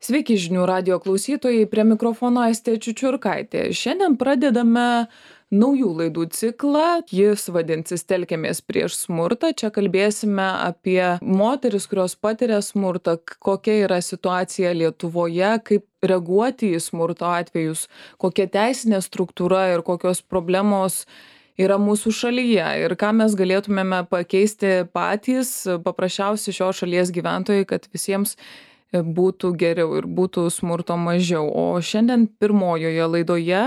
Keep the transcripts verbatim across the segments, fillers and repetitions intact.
Sveiki žinių radijo klausytojai, prie mikrofono Aistė Čiučiurkaitė. Šiandien pradedame naujų laidų ciklą, jis vadinsis Telkiamės prieš smurtą. Čia kalbėsime apie moteris, kurios patiria smurtą, kokia yra situacija Lietuvoje, kaip reaguoti į smurto atvejus, kokia teisinė struktūra ir kokios problemos yra mūsų šalyje ir ką mes galėtumėme pakeisti patys, paprasčiausi šios šalies gyventojai, kad visiems būtų geriau ir būtų smurto mažiau. O šiandien pirmojoje laidoje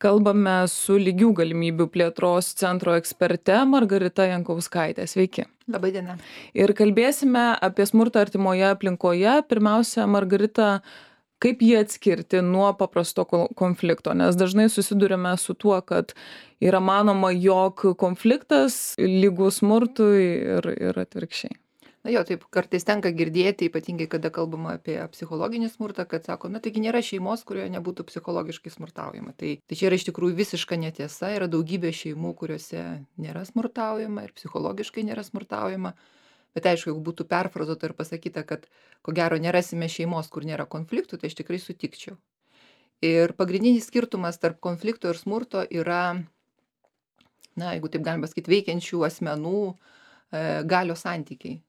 kalbame su lygių galimybių plėtros centro eksperte Margarita Jankauskaitė. Sveiki. Labai diena. Ir kalbėsime apie smurtą artimoje aplinkoje. Pirmiausia, Margarita, kaip jį atskirti nuo paprasto konflikto, nes dažnai susidurime su tuo, kad yra manoma, jog konfliktas lygus smurtui ir, ir atvirkščiai. Na jo, taip kartais tenka girdėti, ypatingai kada kalbama apie psichologinį smurtą, kad sako, na taigi nėra šeimos, kurioje nebūtų psichologiškai smurtaujama. Tai, tai čia yra iš tikrųjų visiška netiesa, yra daugybė šeimų, kuriuose nėra smurtaujama ir psichologiškai nėra smurtaujama. Bet aišku, jeigu būtų perfrazuota ir pasakyta, kad ko gero nerasime šeimos, kur nėra konfliktų, tai aš tikrai sutikčiau. Ir pagrindinis skirtumas tarp konflikto ir smurto yra, na, jeigu taip galima pasakyti, veikiančių asmenų e, galios santykiai.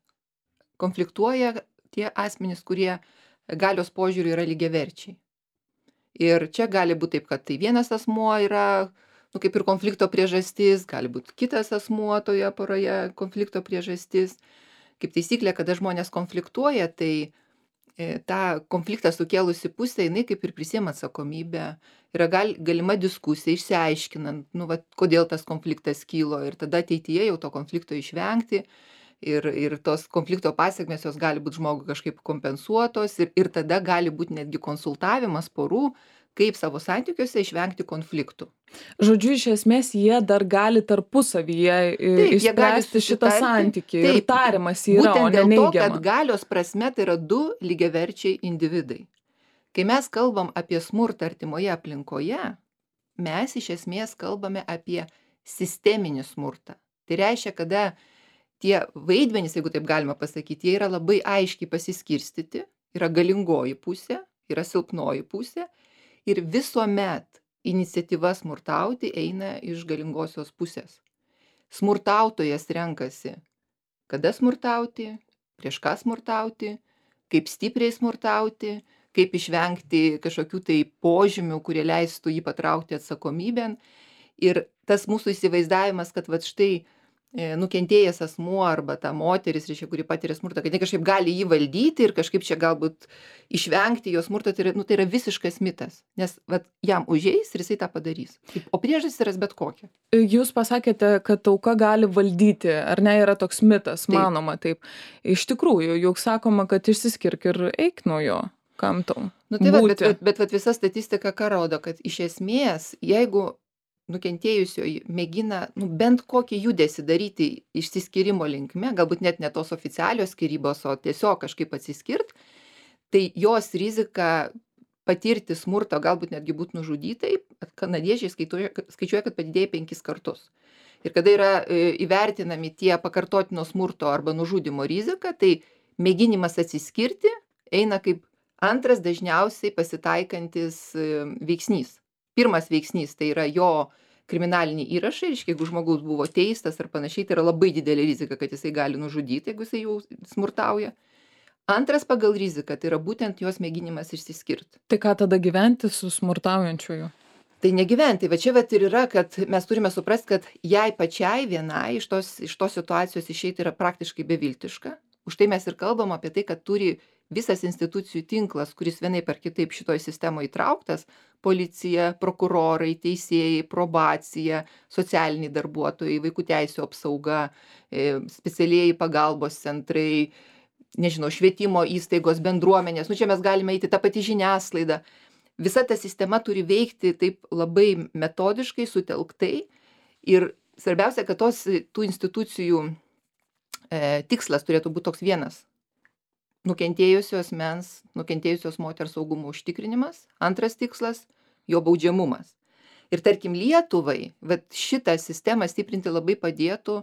Konfliktuoja tie asmenys, kurie galios požiūriu yra lygiaverčiai. Ir čia gali būti taip, kad tai vienas asmuo yra, nu, kaip ir konflikto priežastis, gali būti kitas asmuo toje poroje konflikto priežastis. Kaip taisyklė, kada žmonės konfliktuoja, tai e, tą konfliktą sukėlusi pusė, jinai kaip ir prisiima atsakomybę. Yra gal, galima diskusija, išsiaiškinant, nu, va, kodėl tas konfliktas kylo ir tada ateityje jau to konflikto išvengti. Ir, ir tos konflikto pasiekmės jos gali būti žmogui kažkaip kompensuotos ir, ir tada gali būti netgi konsultavimas porų, kaip savo santykiuose išvengti konfliktų. Žodžiu, iš esmės jie dar gali tarpusavyje Taip, išspręsti šitą santykį ir tarimas yra, o ne neigiama. Būtent dėl to, kad galios prasme tai yra du lygiaverčiai individai. Kai mes kalbam apie smurtą artimoje aplinkoje, mes iš esmės kalbame apie sisteminį smurtą. Tai reiškia, kada tie vaidmenys, jeigu taip galima pasakyti, jie yra labai aiškiai pasiskirstyti, yra galingoji pusė, yra silpnoji pusė ir visuomet iniciatyva smurtauti eina iš galingosios pusės. Smurtautojas renkasi, kada smurtauti, prieš ką smurtauti, kaip stipriai smurtauti, kaip išvengti kažkokių tai požymių, kurie leistų jį patraukti atsakomybėn. Ir tas mūsų įsivaizdavimas, kad vat štai nukentėjęs asmuo arba ta moteris, reiškia, kuri patiria smurtą, kad jie kažkaip gali jį valdyti ir kažkaip čia galbūt išvengti jo smurto, tai yra, nu, tai yra visiškas mitas, nes vat, jam užeis ir jisai tą padarys. O priežastis yra bet kokia. Jūs pasakėte, kad auka gali valdyti, ar ne, yra toks mitas, taip. Manoma taip. Iš tikrųjų, juk sakoma, kad išsiskirk ir eik nuo jo, kam tau. Nu, tai va, bet, bet, bet, bet visa statistika ką rodo, kad iš esmės, jeigu nukentėjusioji mėgina nu, bent kokį judesį daryti išsiskyrimo linkme, galbūt net ne tos oficialios skyrybos, o tiesiog kažkaip atsiskirt, tai jos rizika patirti smurtą, galbūt netgi būti nužudytai, kanadiečiai skaičiuoja, skaičiuoja, kad padidėja penkis kartus. Ir kada yra įvertinami tie pakartotino smurto arba nužudymo rizika, tai mėginimas atsiskirti eina kaip antras dažniausiai pasitaikantis veiksnys. Pirmas veiksnys tai yra jo kriminaliniai įrašai, reiškia, jeigu žmogus buvo teistas ar panašiai, tai yra labai didelė rizika, kad jisai gali nužudyti, jeigu jisai jau smurtauja. Antras pagal riziką tai yra būtent jos mėginimas išsiskirti. Tai ką tada gyventi su smurtaujančiuoju? Tai negyventi, va čia vat ir yra, kad mes turime suprasti, kad jai pačiai vienai iš tos, iš tos situacijos išeiti yra praktiškai beviltiška. Už tai mes ir kalbam apie tai, kad turi visas institucijų tinklas, kuris vienaip ar kitaip šitoj sistemoje įtrauktas, policija, prokurorai, teisėjai, probacija, socialiniai darbuotojai, vaikų teisių apsauga, specialieji pagalbos centrai, nežinau, švietimo įstaigos, bendruomenės, nu čia mes galime eiti tą patį žiniasklaidą. Visa ta sistema turi veikti taip labai metodiškai, sutelktai ir svarbiausia, kad tos tų institucijų e, tikslas turėtų būti toks vienas. Nukentėjusios mens, nukentėjusios moters saugumo užtikrinimas. Antras tikslas – jo baudžiamumas. Ir tarkim Lietuvai, vat šitą sistemą stiprinti labai padėtų,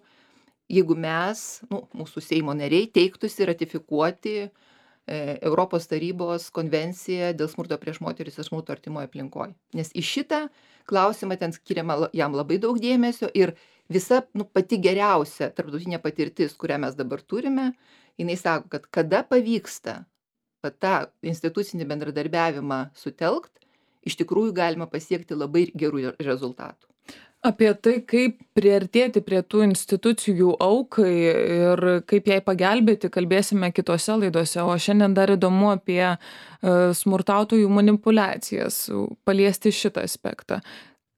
jeigu mes, nu, mūsų Seimo nariai, teiktųsi ratifikuoti e, Europos tarybos konvenciją dėl smurto prieš moteris ir smurto artimoje aplinkoje. Nes į šitą klausimą ten skiriama la- jam labai daug dėmesio ir visa nu, pati geriausia tarptautinė patirtis, kurią mes dabar turime, jinai sako, kad kada pavyksta va tą institucinį bendradarbiavimą sutelkt, iš tikrųjų galima pasiekti labai gerų rezultatų. Apie tai, kaip priartėti prie tų institucijų aukai ir kaip jai pagelbėti, kalbėsime kitose laidose. O šiandien dar įdomu apie e, smurtautojų manipulacijas, paliesti šitą aspektą.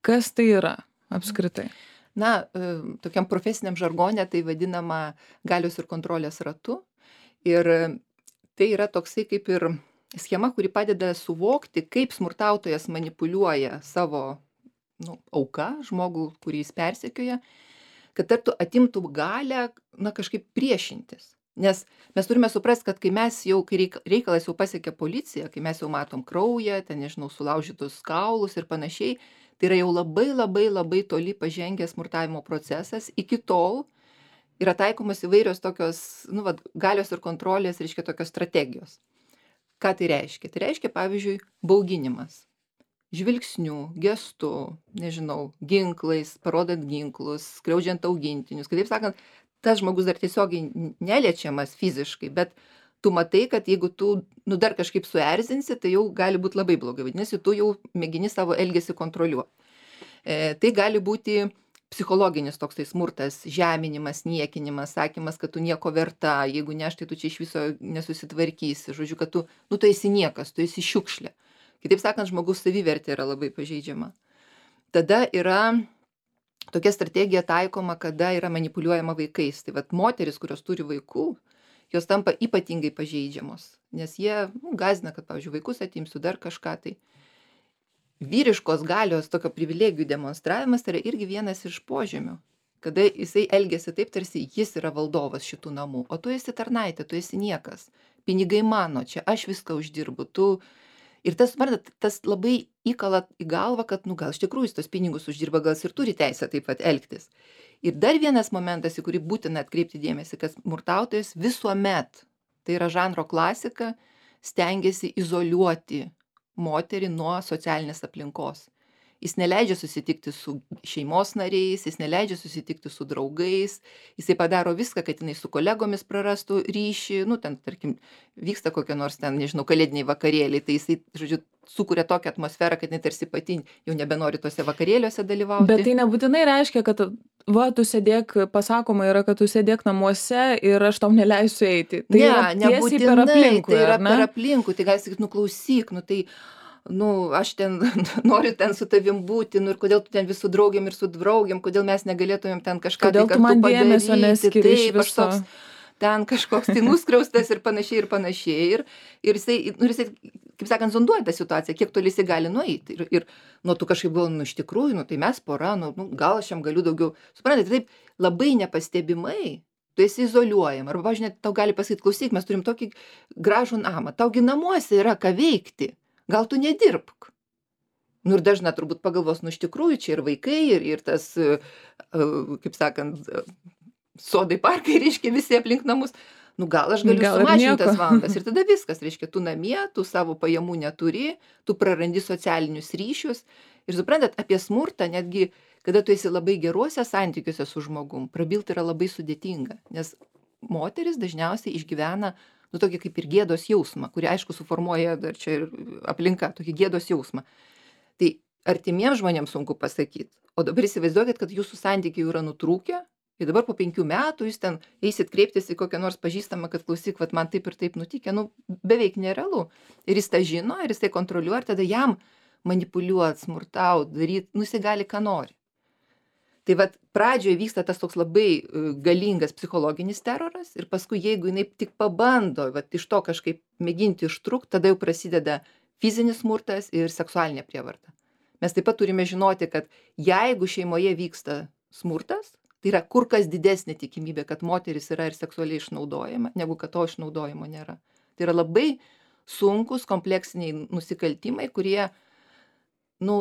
Kas tai yra apskritai? Na, e, tokiam profesiniam žargone tai vadinama galios ir kontrolės ratu. Ir e, tai yra toksai kaip ir schema, kuri padeda suvokti, kaip smurtautojas manipuliuoja savo nu, auka, žmogų, kurį jis persekioja, kad tartu atimtų galę, na, kažkaip priešintis. Nes mes turime suprasti, kad kai mes jau, kai reik- reikalas jau pasiekia policiją, kai mes jau matom kraują, ten, nežinau, sulaužytus kaulus ir panašiai, tai yra jau labai labai labai toli pažengęs smurtavimo procesas. Iki tol yra taikomas įvairios tokios, nu, vat, galios ir kontrolės, reiškia, tokios strategijos. Ką tai reiškia? Tai reiškia, pavyzdžiui, bauginimas. Žvilgsniu, gestu, nežinau, ginklais, parodant ginklus, skriaudžiant augintinius. Kitaip sakant, tas žmogus dar tiesiogiai n- neliečiamas fiziškai, bet tu matai, kad jeigu tu nu, dar kažkaip suerzinsi, tai jau gali būti labai blogai. Vadinasi, tu jau mėgini savo elgesį kontroliuoti. E, tai gali būti psichologinis toksai smurtas, žeminimas, niekinimas, sakymas, kad tu nieko verta, jeigu ne aš, tai tu čia iš viso nesusitvarkysi. Žodžiu, kad tu, nu, tu esi niekas, tu esi šiukšlė. Kitaip sakant, žmogus savivertė yra labai pažeidžiama. Tada yra tokia strategija taikoma, kada yra manipuliuojama vaikais. Tai vat moteris, kurios turi vaikų, jos tampa ypatingai pažeidžiamos, nes jie nu, gąsdina, kad, pavyzdžiui, vaikus atimsiu dar kažką. Tai vyriškos galios tokio privilegijų demonstravimas tai yra irgi vienas iš požymių, kada jisai elgiasi taip, tarsi jis yra valdovas šitų namų, o tu esi tarnaitė, tu esi niekas. Pinigai mano, čia aš viską uždirbu, tu. Ir tas, suprantat, tas labai įkala į galvą, kad, nu, gal iš tikrųjų jis tos pinigus uždirba, gal jis ir turi teisę taip pat elgtis. Ir dar vienas momentas, į kurį būtina atkreipti dėmesį, kad smurtautojas visuomet, tai yra žanro klasika, stengiasi izoliuoti moterį nuo socialinės aplinkos. Jis neleidžia susitikti su šeimos nariais, jis neleidžia susitikti su draugais, jisai padaro viską, kad jinai su kolegomis prarastų ryšį, nu, ten, tarkim, vyksta kokie nors ten, nežinau, kalėdiniai vakarėliai, tai jisai, žodžiu, sukuria tokią atmosferą, kad jinai tarsi pati jau nebenori tose vakarėliuose dalyvauti. Bet tai nebūtinai reiškia, kad va, tu sėdėk, pasakoma yra, kad tu sėdėk namuose ir aš tau neleisiu eiti. Tai ne, yra tiesiai nebūtinai, per aplinkui, tai yra ar ne? per aplinkui, tai gali sakyti, nu klausyk, nu tai, nu, aš ten noriu ten su tavim būti, nu ir kodėl tu ten visų draugiam ir su draugiam, kodėl mes negalėtumėm ten kažką Kodėl tai tu kartu man dėmesio padaryti, neskiri iš taip, aš viso? toks ten kažkoks tai nuskriaustas ir panašiai ir panašiai. Ir, ir jisai, nu, ir jisai, kaip sakant, zonduoja tą situaciją, kiek toli jisai gali nueiti. Ir, ir nu, tu kažkaip galvoji, nu, iš tikrųjų, nu, tai mes pora, nu, nu, gal aš jam galiu daugiau. Suprantate, taip labai nepastebimai tu esi izoliuojama. Arba, pavyzdžiui, net tau gali pasakyti, klausyk, mes turim tokį gražų namą, taugi namuose yra ką veikti, gal tu nedirbk. Nu ir dažna turbūt pagalvos, nu iš tikrųjų čia ir vaikai, ir, ir tas, e, e, kaip sakant, e, sodai parkai, reiškia, visi aplink namus. Nu gal aš galiu Gal ir sumažinti nieko. tas valandas ir tada viskas, reiškia, tu namie, tu savo pajamų neturi, tu prarandi socialinius ryšius. Ir suprantat, apie smurtą netgi, kada tu esi labai geruose santykiuose su žmogum, prabilti yra labai sudėtinga, nes moteris dažniausiai išgyvena, nu, tokį kaip ir gėdos jausmą, kurį, aišku, suformuoja dar čia ir aplinka, tokį gėdos jausmą. Tai artimiems žmonėms sunku pasakyti. O dabar įsivaizduokit, kad jūsų santykiai jau yra nutrūkę ir dabar po penkių metų jūs ten eisit kreiptis į kokią nors pažįstamą, kad klausyk, vat man taip ir taip nutikė, nu beveik nerealu. Ir jis tą žino, ir jis tai kontroliuoja, ir tada jam manipuliuot, smurtaut, daryt, nu jisai gali ką nori. Tai vat pradžioje vyksta tas toks labai e, galingas psichologinis teroras ir paskui jeigu jinai tik pabando vat iš to kažkaip mėginti ištrūkt, tada jau prasideda fizinis smurtas ir seksualinė prievarta. Mes taip pat turime žinoti, kad jeigu šeimoje vyksta smurtas, tai yra kur kas didesnė tikimybė, kad moteris yra ir seksualiai išnaudojama, negu kad to išnaudojimo nėra. Tai yra labai sunkus kompleksiniai nusikaltimai, kurie, nu,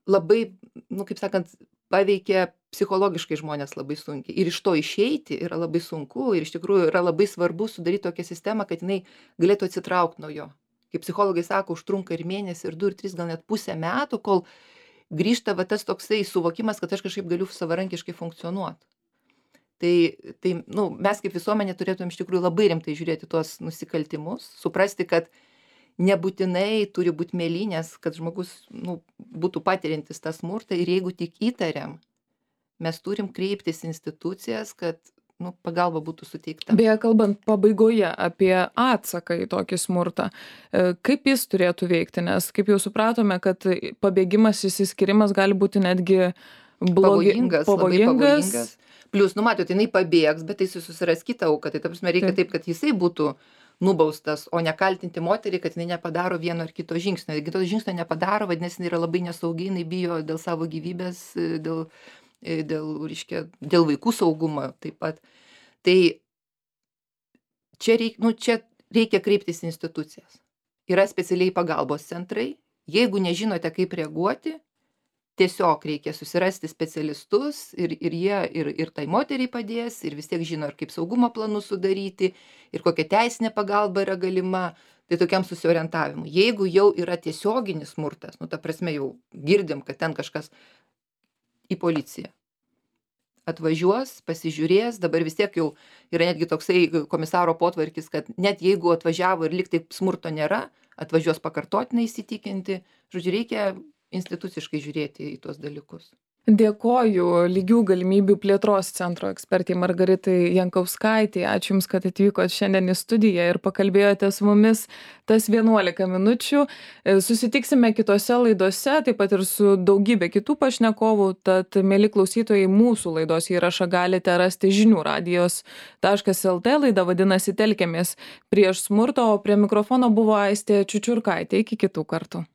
labai, nu, kaip sakant, paveikia psichologiškai žmonės labai sunkiai. Ir iš to išeiti yra labai sunku ir iš tikrųjų yra labai svarbu sudaryti tokią sistemą, kad jinai galėtų atsitraukti nuo jo. Kaip psichologai sako, užtrunka ir mėnesį, ir du, ir tris, gal net pusę metų, kol grįžta va tas toksai suvokimas, kad aš kažkaip galiu savarankiškai funkcionuoti. Tai, tai nu, mes kaip visuomenė turėtumėm iš tikrųjų labai rimtai žiūrėti tuos nusikaltimus, suprasti, kad nebūtinai turi būti mėlynės, kad žmogus nu, būtų patiriantis tą smurtą ir jeigu tik įtariam, mes turim kreiptis institucijas, kad nu, pagalba būtų suteikta. Beje, kalbant pabaigoje apie atsaką į tokį smurtą, kaip jis turėtų veikti, nes kaip jau supratome, kad pabėgimas, išsiskyrimas gali būti netgi blogi, pavojingas, pavojingas. labai pavojingas. Plius, nu matot, jinai pabėgs, bet tai susiras kitą auką, tai ta prasme reikia taip, kad jisai būtų nubaustas, o ne kaltinti moterį, kad jinai nepadaro vieno ar kito žingsnio. Jeigu to žingsnio nepadaro, vadinasi, jinai yra labai nesaugi, jinai bijo dėl savo gyvybės, dėl, dėl, reiškia, dėl vaikų saugumo taip pat. Tai čia, reik, nu, čia reikia kreiptis į institucijas. Yra specialiai pagalbos centrai. Jeigu nežinote, kaip reaguoti, tiesiog reikia susirasti specialistus ir, ir jie ir, ir tai moteriai padės, ir vis tiek žino, ir kaip saugumo planus sudaryti, ir kokia teisinė pagalba yra galima, tai tokiam susiorientavimui. Jeigu jau yra tiesioginis smurtas, nu ta prasme jau girdim, kad ten kažkas į policiją atvažiuos, pasižiūrės, dabar vis tiek jau yra netgi toksai komisaro potvarkis, kad net jeigu atvažiavo ir lyg taip smurto nėra, atvažiuos pakartotinai įsitikinti, žodžiu, reikia instituciškai žiūrėti į tuos dalykus. Dėkoju lygių galimybių plėtros centro ekspertai Margaritai Jankauskaitei. Ačiū Jums, kad atvykot šiandien į studiją ir pakalbėjote su mumis tas vienuolika minučių. Susitiksime kitose laidose, taip pat ir su daugybė kitų pašnekovų. Tad, mėly klausytojai, mūsų laidos įrašą galite rasti žinių radijos taškas lt. Laida vadinasi Telkiamės prieš smurtą, o prie mikrofono buvo Aistė Čiučiurkaitė. Iki kitų kartų.